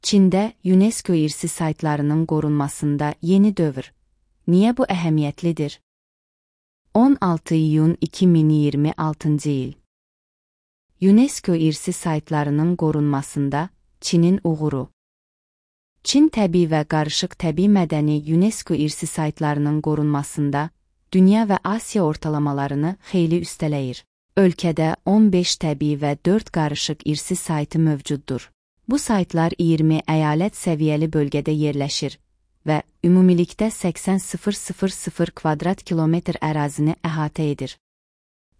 Çində UNESCO irsi saytlarının qorunmasında yeni dövr. Niyə bu əhəmiyyətlidir? 16 iyun 2026 il. UNESCO irsi saytlarının qorunmasında Çinin uğuru. Çin təbii və qarışıq təbii mədəni UNESCO irsi saytlarının qorunmasında dünya və Asiya ortalamalarını xeyli üstələyir. Ölkədə 15 təbii və 4 qarışıq irsi saytı mövcuddur. Bu saytlar 20 əyalət səviyyəli bölgədə yerləşir və ümumilikdə 80.000 kvadrat kilometr ərazini əhatə edir.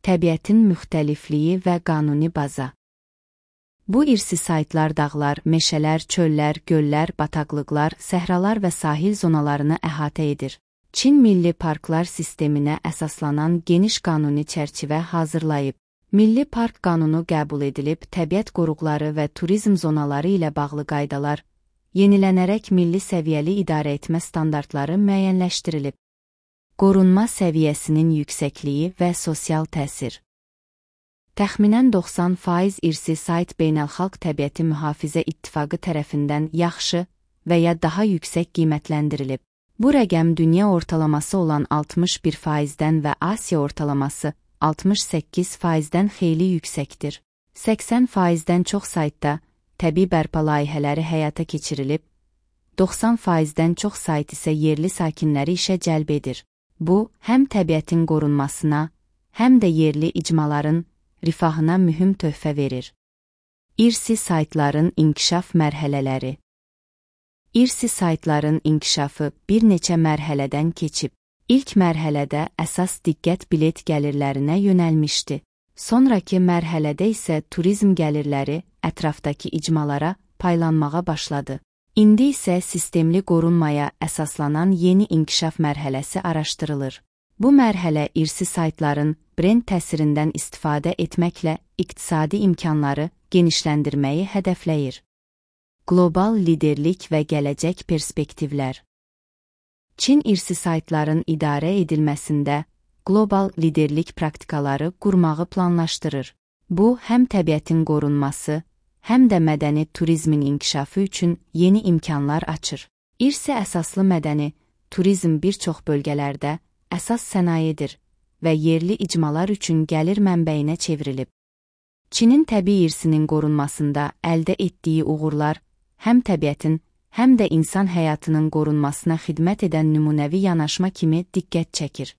Təbiətin müxtəlifliyi və qanuni baza. Bu irsi saytlar dağlar, meşələr, çöllər, göllər, bataqlıqlar, səhralar və sahil zonalarını əhatə edir. Çin Milli Parklar sisteminə əsaslanan geniş qanuni çərçivə hazırlayıb. Milli Park Qanunu qəbul edilib, təbiət qoruqları və turizm zonaları ilə bağlı qaydalar, yenilənərək milli səviyyəli idarəetmə standartları müəyyənləşdirilib. Qorunma səviyyəsinin yüksəkliyi və sosial təsir. Təxminən 90% irsi sayt Beynəlxalq Təbiəti Mühafizə İttifaqı tərəfindən yaxşı və ya daha yüksək qiymətləndirilib. Bu rəqəm dünya ortalaması olan 61%-dən və Asiya ortalaması 68%-dən xeyli yüksəkdir. 80%-dən çox saytda təbii bərpa layihələri həyata keçirilib, 90%-dən çox sayt isə yerli sakinləri işə cəlb edir. Bu, həm təbiətin qorunmasına, həm də yerli icmaların rifahına mühüm töhfə verir. İrsi saytların inkişaf mərhələləri. İrsi saytların inkişafı bir neçə mərhələdən keçib. İlk mərhələdə əsas diqqət bilet gəlirlərinə yönəlmişdi. Sonrakı mərhələdə isə turizm gəlirləri ətrafdakı icmalara paylanmağa başladı. İndi isə sistemli qorunmaya əsaslanan yeni inkişaf mərhələsi araşdırılır. Bu mərhələ irsi saytların brend təsirindən istifadə etməklə iqtisadi imkanları genişləndirməyi hədəfləyir. Qlobal liderlik və gələcək perspektivlər. Çin irsi saytların idarə edilməsində qlobal liderlik praktikaları qurmağı planlaşdırır. Bu, həm təbiətin qorunması, həm də mədəni turizmin inkişafı üçün yeni imkanlar açır. İrsi əsaslı mədəni turizm bir çox bölgələrdə əsas sənayedir və yerli icmalar üçün gəlir mənbəyinə çevrilib. Çinin təbii irsinin qorunmasında əldə etdiyi uğurlar həm təbiətin, həm də insan həyatının qorunmasına xidmət edən nümunəvi yanaşma kimi diqqət çəkir.